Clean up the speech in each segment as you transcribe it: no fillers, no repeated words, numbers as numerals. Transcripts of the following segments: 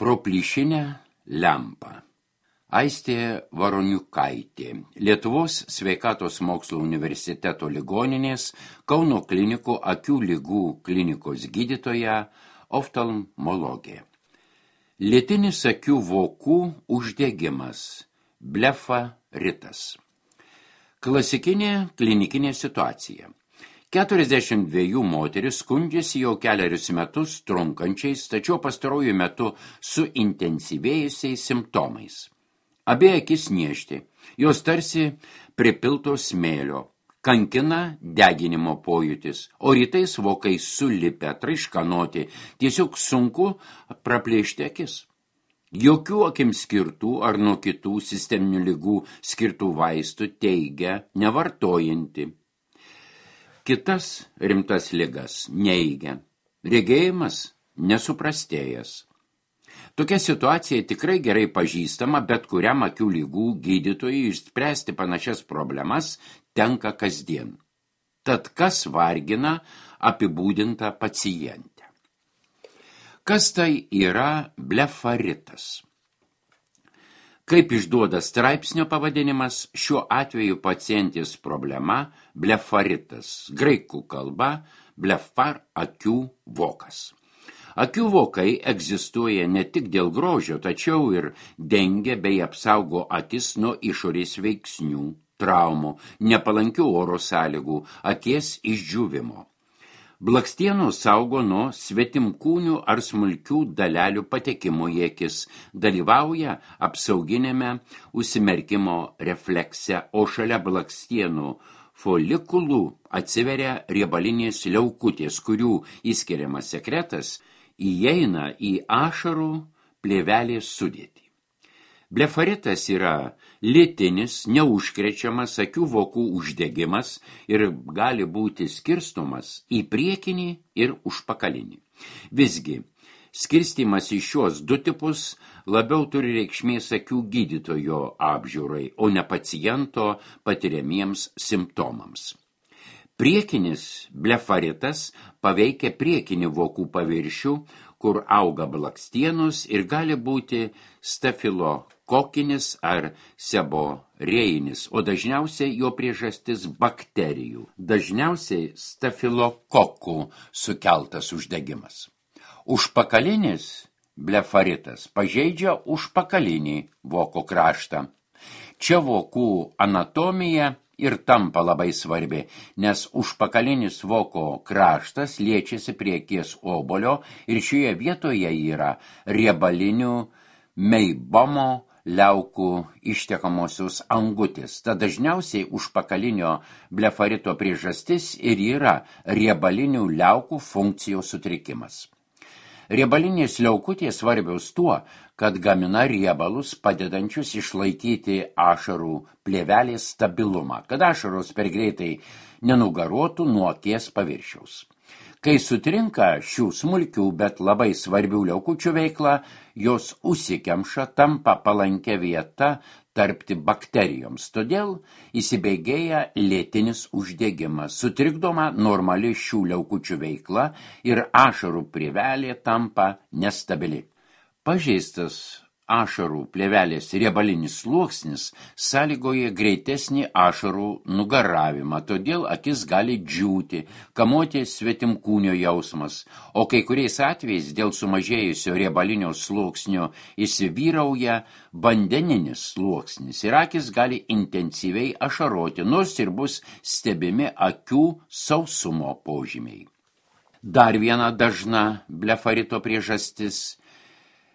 Pro plyšinę lempą. Aistė Varoniukaitė, Lietuvos sveikatos mokslo universiteto ligoninės Kauno klinikų akių ligų klinikos gydytoja, oftalmologė. Lėtinis akių vokų uždegimas, blefaritas. Klasikinė klinikinė situacija. 42 moteris skundžiasi jau keliarius metus trunkančiais, tačiau pastaruoju metu suintensyvėjusiais simptomais. Abie akis niežti, jos tarsi pripiltos smėlio, kankina deginimo pojūtis, o rytais vokai sulipę, traiškanoti, tiesiog sunku praplėšti akis. Jokių akim skirtų ar nuo kitų sisteminių ligų skirtų vaistų teigia nevartojanti. Kitas rimtas ligas neigia, regėjimas nesuprastėjęs. Tokia situacija tikrai gerai pažįstama, bet kuriam akių ligų gydytojui išspręsti panašias problemas tenka kasdien. Tad kas vargina apibūdintą pacientę? Kas tai yra blefaritas? Kaip išduoda straipsnio pavadinimas, šiuo atveju pacientės problema blefaritas, graikų kalba blefar akių vokas. Akių vokai egzistuoja ne tik dėl grožio, tačiau ir dengia bei apsaugo akis nuo išorės veiksnių, traumų, nepalankių oro sąlygų, akies išdžiūvimo. Blakstienų saugo nuo svetimkūnių ar smulkių dalelių patekimo į akis, dalyvauja apsauginėme užsimerkimo reflekse, o šalia blakstienų folikulų atsiveria riebalinės liaukutės, kurių įskiriamas sekretas įeina į ašarų plėvelės sudėtį. Blefaritas yra lėtinis, neužkrečiamas akių vokų uždegimas ir gali būti skirstomas į priekinį ir užpakalinį. Visgi, skirstymas į šios du tipus labiau turi reikšmės akių gydytojo apžiūrai, o ne paciento patiriamiems simptomams. Priekinis blefaritas paveikia priekinį vokų paviršių, kur auga blakstienos ir gali būti stafilokokinis ar seborėjinis, o dažniausiai jo priežastis bakterijų, dažniausiai stafilokokų sukeltas uždegimas. Užpakalinis blefaritas pažeidžia užpakalinį voko kraštą. Čia vokų anatomija ir tampa labai svarbi, nes užpakalinis voko kraštas liečiasi prie akies obolio ir šioje vietoje yra riebalinių meibomo liaukų ištekamosios angutės. Tad dažniausiai užpakalinio blefarito priežastis ir yra riebalinių liaukų funkcijos sutrikimas. Riebalinės liaukutės svarbios tuo, kad gamina riebalus padedančius išlaikyti ašarų plėvelės stabilumą, kad ašaros per greitai nenugaruotų nuo akies paviršiaus. Kai sutrinka šių smulkių, bet labai svarbių liaukučių veikla, jos užsikemša, tampa palankia vieta tarpti bakterijoms. Todėl įsibėgėja lėtinis uždegimas, sutrikdoma normali šių liaukučių veikla ir ašarų plėvelė tampa nestabili. Pažeistas ašarų plėvelės riebalinis sluoksnis sąlygoja greitesnį ašarų nugaravimą, todėl akis gali džiūti, kamuoti svetimkūnio jausmas, o kai kuriais atvejais dėl sumažėjusio riebalinio sluoksnio įsivyrauja vandeninis sluoksnis ir akis gali intensyviai ašaroti, nors ir bus stebimi akių sausumo požymiai. Dar viena dažna blefarito priežastis –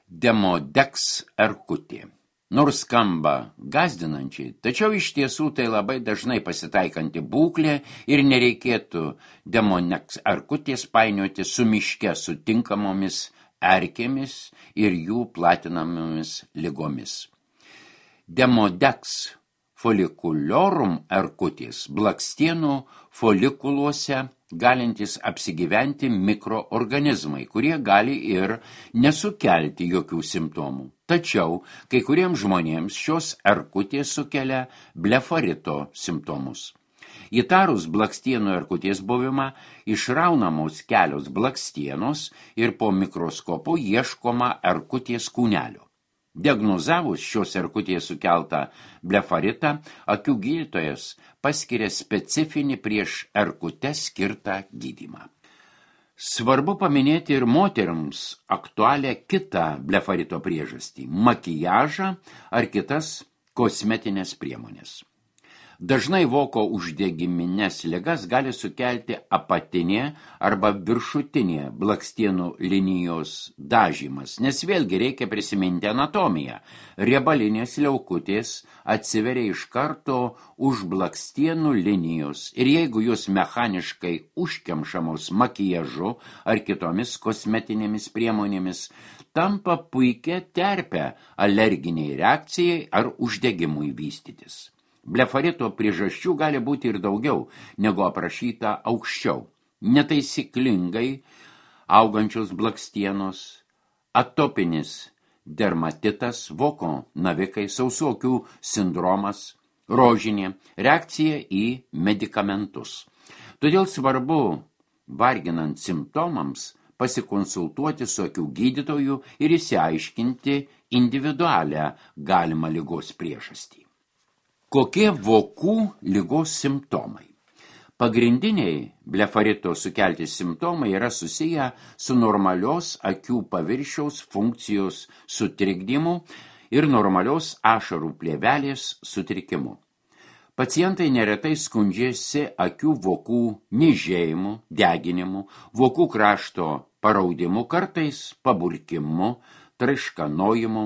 Demodex erkutė. Nors skamba gąsdinančiai, tačiau iš tiesų tai labai dažnai pasitaikanti būklė ir nereikėtų Demodex erkutės painioti su miške sutinkamomis erkėmis ir jų platinamomis ligomis. Demodex folikulorum erkutės blakstienų folikuluose galintys apsigyventi mikroorganizmai, kurie gali ir nesukelti jokių simptomų. Tačiau kai kuriems žmonėms šios erkutės sukelia blefarito simptomus. Įtarus blakstienų erkutės buvimą, išraunamos kelios blakstienos ir po mikroskopu ieškoma erkutės kūnelio. Diagnozavus šios erkutės sukeltą blefaritą, akių gydytojas paskiria specifinį prieš erkutę skirtą gydymą. Svarbu paminėti ir moterims aktualią kitą blefarito priežastį – makijažą ar kitas kosmetinės priemonės. Dažnai voko uždegiminės ligas gali sukelti apatinė arba viršutinė blakstienų linijos dažymas, nes vėlgi reikia prisiminti anatomiją. Riebalinės liaukutės atsiveria iš karto už blakstienų linijos ir jeigu jos mechaniškai užkemšamos makijažu ar kitomis kosmetinėmis priemonėmis, tampa puikia terpė alerginiai reakcijai ar uždegimui vystytis. Blefarito priežasčių gali būti ir daugiau, negu aprašyta aukščiau. Netaisyklingai augančios blakstienos, atopinis dermatitas, voko navikai, sausokių sindromas, rožinė, reakcija į medikamentus. Todėl svarbu, varginant simptomams, pasikonsultuoti su akių gydytoju ir išsiaiškinti individualią galimą ligos priežastį. Kokie vokų ligos simptomai? Pagrindiniai blefarito sukelti simptomai yra susiję su normalios akių paviršiaus funkcijos sutrikdymu ir normalios ašarų plėvelės sutrikimu. Pacientai neretai skundžiasi akių vokų niežėjimu, deginimu, vokų krašto paraudimu, kartais paburkimu, traiškanojimu,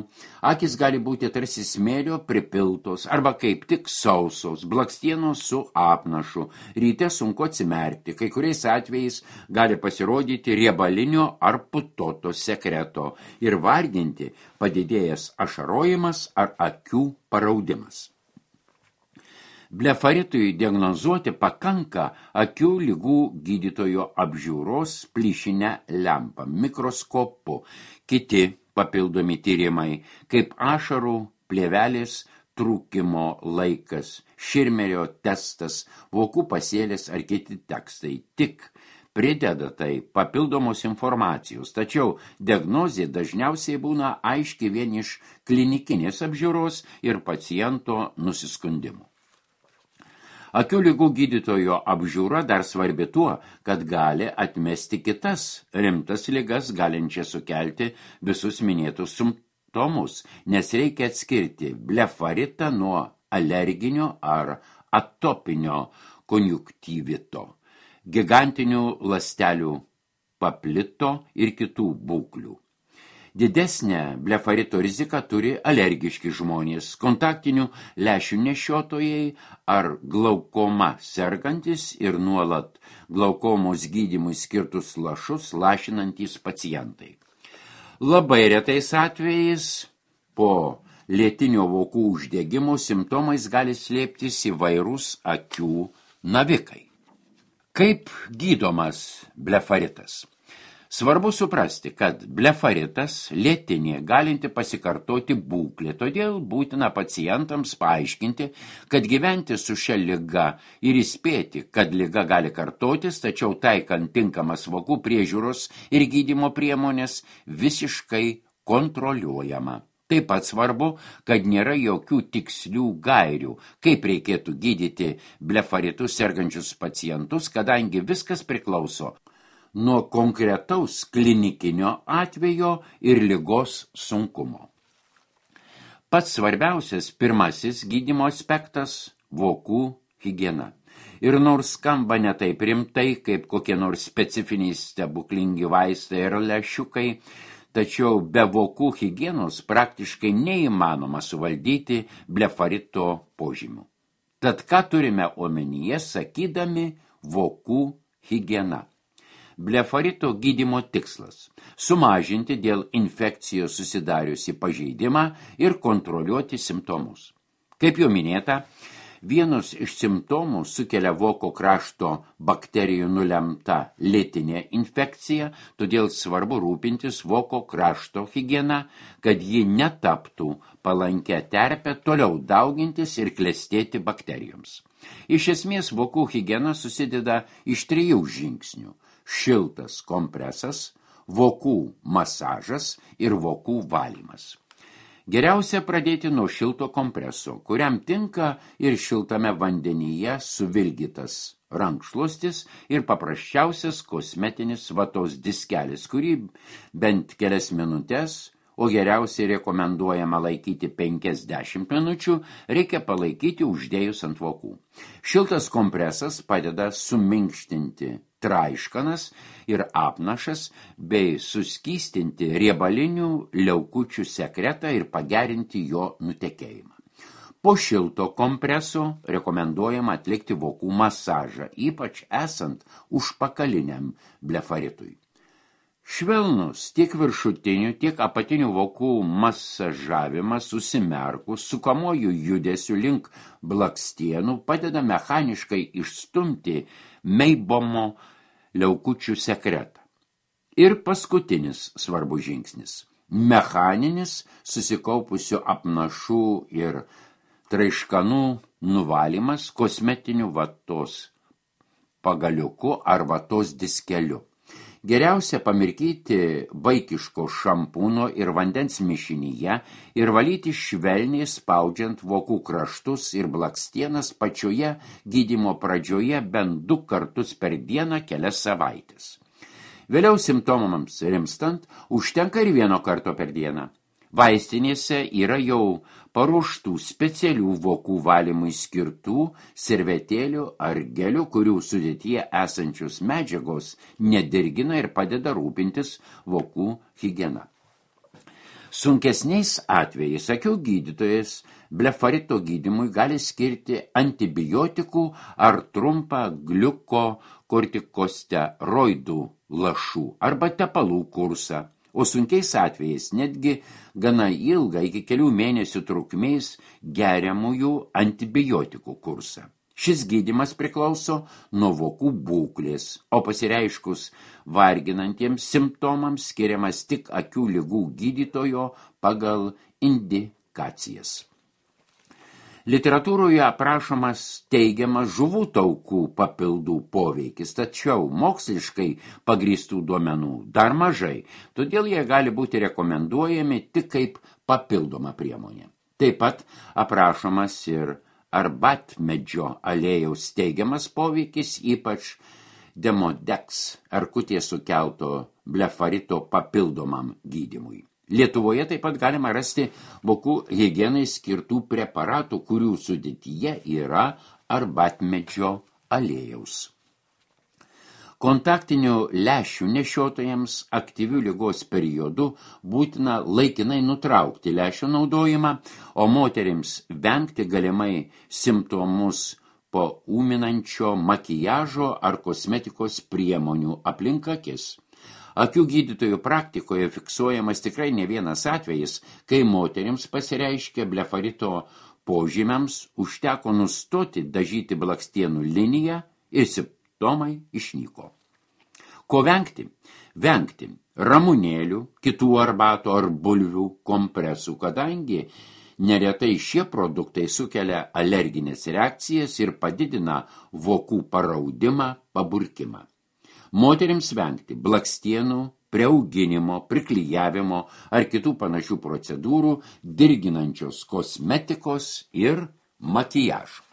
akis gali būti tarsi smėlio pripiltos arba kaip tik sausos, blakstienos su apnašu, ryte sunku atsimerkti, kai kuriais atvejais gali pasirodyti riebalinio ar putoto sekreto ir varginti padidėjęs ašarojimas ar akių paraudimas. Blefaritui diagnozuoti pakanka akių ligų gydytojo apžiūros plyšinę lempą, mikroskopu, kiti papildomi tyrimai, kaip ašarų plėvelės trūkimo laikas, Širmerio testas, vokų pasėlis ar kiti tekstai. Tik prideda tai papildomos informacijos, tačiau diagnozė dažniausiai būna aiški vien iš klinikinės apžiūros ir paciento nusiskundimų. Akių ligų gydytojo apžiūra dar svarbi tuo, kad gali atmesti kitas rimtas ligas, galinčias sukelti visus minėtus simptomus, nes reikia atskirti blefaritą nuo alerginio ar atopinio konjunktyvito, gigantinių ląstelių paplito ir kitų būklių. Didesnę blefarito riziką turi alergiški žmonės, kontaktinių lęšių nešiotojai ar glaukoma sergantis ir nuolat glaukomos gydymui skirtus lašus lašinantys pacientai. Labai retais atvejais po lėtinio vokų uždegimo simptomais gali slėptis įvairūs akių navikai. Kaip gydomas blefaritas? Svarbu suprasti, kad blefaritas lėtinė galinti pasikartoti būklė, todėl būtina pacientams paaiškinti, kad gyventi su šia liga ir įspėti, kad liga gali kartotis, tačiau taikant tinkamas vokų priežiūros ir gydymo priemonės visiškai kontroliuojama. Taip pat svarbu, kad nėra jokių tikslių gairių, kaip reikėtų gydyti blefaritus sergančius pacientus, kadangi viskas priklauso nuo konkretaus klinikinio atvejo ir ligos sunkumo. Pats svarbiausias pirmasis gydymo aspektas – vokų higiena. Ir nors skamba ne taip rimtai, kaip kokie nors specifiniai stebuklingi vaistai ir lęšiukai, tačiau be vokų higienos praktiškai neįmanoma suvaldyti blefarito požymių. Tad ką turime omenyje, sakydami vokų higiena? Blefarito gydymo tikslas – sumažinti dėl infekcijos susidariusi pažeidimą ir kontroliuoti simptomus. Kaip jau minėta, Vienus iš simptomų sukelia voko krašto bakterijų nulemta lėtinė infekcija, todėl svarbu rūpintis voko krašto higiena, kad ji netaptų palankę terpę toliau daugintis ir klestėti bakterijoms. Iš esmės vokų higiena susideda iš 3 žingsnių – šiltas kompresas, vokų masažas ir vokų valymas. Geriausia pradėti nuo šilto kompreso, kuriam tinka ir šiltame vandenyje suvilgytas rankšluostis ir paprasčiausias kosmetinis vatos diskelis, kurį bent kelias minutės, o geriausiai rekomenduojama laikyti 50 minučių, reikia palaikyti uždėjus ant vokų. Šiltas kompresas padeda suminkštinti traiškanas ir apnašas bei suskystinti riebalinių liaukučių sekretą ir pagerinti jo nutekėjimą. Po šilto kompreso rekomenduojama atlikti vokų masažą, ypač esant užpakaliniam blefaritui. Švelnus tiek viršutinių, tiek apatinių vokų masažavimas užsimerkus sukamuoju judesiu link blakstienų padeda mechaniškai išstumti meibomo liaukučių sekretą. Ir paskutinis svarbus žingsnis – mechaninis susikaupusių apnašų ir traiškanų nuvalymas kosmetiniu vatos pagaliuku ar vatos diskeliu. Geriausia pamirkyti vaikiško šampūno ir vandens mišinyje ir valyti švelniai spaudžiant vokų kraštus ir blakstienas pačioje gydymo pradžioje bent 2 kartus per dieną kelias savaites. Vėliau simptomams rimstant užtenka ir 1 karto per dieną. Vaistinėse yra jau paruoštų specialių vokų valymui skirtų servetėlių ar gelių, kurių sudėtyje esančios medžiagos nedirgina ir padeda rūpintis vokų higiena. Sunkesniais atvejais akių gydytojas blefarito gydymui gali skirti antibiotikų ar trumpą gliukokortikosteroidų lašų arba tepalų kursą. O sunkiais atvejais netgi gana ilgą iki kelių mėnesių trukmės geriamųjų antibiotikų kursą. Šis gydymas priklauso nuo vokų būklės, o pasireiškus varginantiems simptomams skiriamas tik akių ligų gydytojo pagal indikacijas. Literatūroje aprašomas teigiamas žuvų taukų papildų poveikis, tačiau moksliškai pagrįstų duomenų dar mažai, todėl jie gali būti rekomenduojami tik kaip papildoma priemonė. Taip pat aprašomas ir arbatmedžio aliejaus teigiamas poveikis, ypač Demodex erkutės sukelto blefarito papildomam gydymui. Lietuvoje taip pat galima rasti vokų higienai skirtų preparatų, kurių sudėtyje yra arbatmedžio aliejaus. Kontaktinių lęšių nešiotojams aktyvių ligos periodu būtina laikinai nutraukti lęšių naudojimą, o moterims vengti galimai simptomus po ūminančio makijažo ar kosmetikos priemonių aplink akis. Akių gydytojų praktikoje fiksuojamas tikrai ne vienas atvejis, kai moterims pasireiškia blefarito požymiams, užteko nustoti dažyti blakstienų liniją ir simptomai išnyko. Ko vengti? Vengti ramunėlių, kitų arbatų ar bulvių kompresų, kadangi neretai šie produktai sukelia alerginės reakcijas ir padidina vokų paraudimą, paburkimą. Moterims vengti blakstienų, priauginimo, priklijavimo ar kitų panašių procedūrų, dirginančios kosmetikos ir makijažo.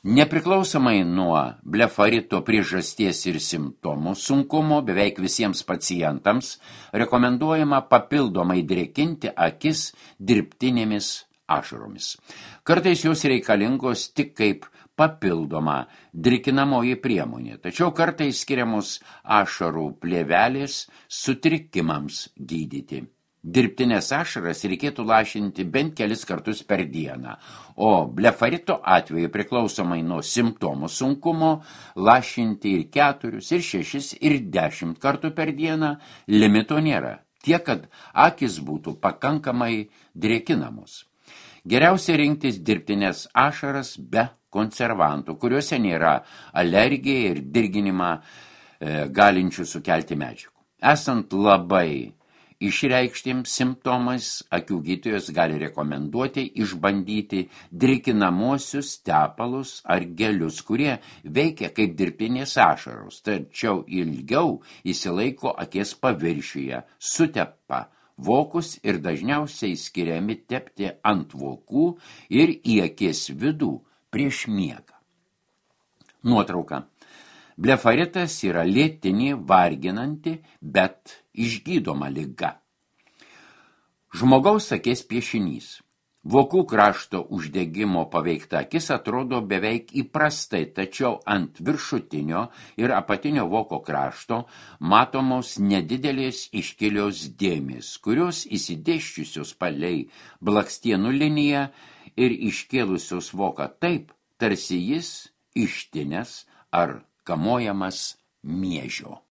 Nepriklausomai nuo blefarito priežasties ir simptomų sunkumo, beveik visiems pacientams rekomenduojama papildomai drėkinti akis dirbtinėmis ašaromis. Kartais jos reikalingos tik kaip papildoma drėkinamoji priemonė, tačiau kartais skiriamos ašarų plėvelės sutrikimams gydyti. Dirbtinės ašaras reikėtų lašinti bent kelis kartus per dieną, o blefarito atveju priklausomai nuo simptomų sunkumo lašinti ir 4, ir 6, ir 10 kartų per dieną, limito nėra, tiek kad akys būtų pakankamai drėkinamos. Geriausia rinktis dirbtinės ašaras be konservantų, kuriuose nėra alergiją ir dirginimą galinčių sukelti medžiagų. Esant labai išreikštiems simptomais, akių gydytojas gali rekomenduoti išbandyti drėkinamosius tepalus ar gelius, kurie veikia kaip dirbtinės ašaros, tačiau ilgiau įsilaiko akies paviršiuje, sutepa vokus ir dažniausiai skiriami tepti ant vokų ir į akies vidų prieš miegą. Nuotrauka. Blefaritas yra lėtinė, varginanti, bet išgydoma liga. Žmogaus akies piešinys. Vokų krašto uždegimo paveikta akis atrodo beveik įprastai, tačiau ant viršutinio ir apatinio voko krašto matomos nedidelės iškilios dėmės, kurios įsidėščiusios palei blakstienų liniją ir iškėlusios voką taip, tarsi jis ištinęs ar kamuojamas miežio.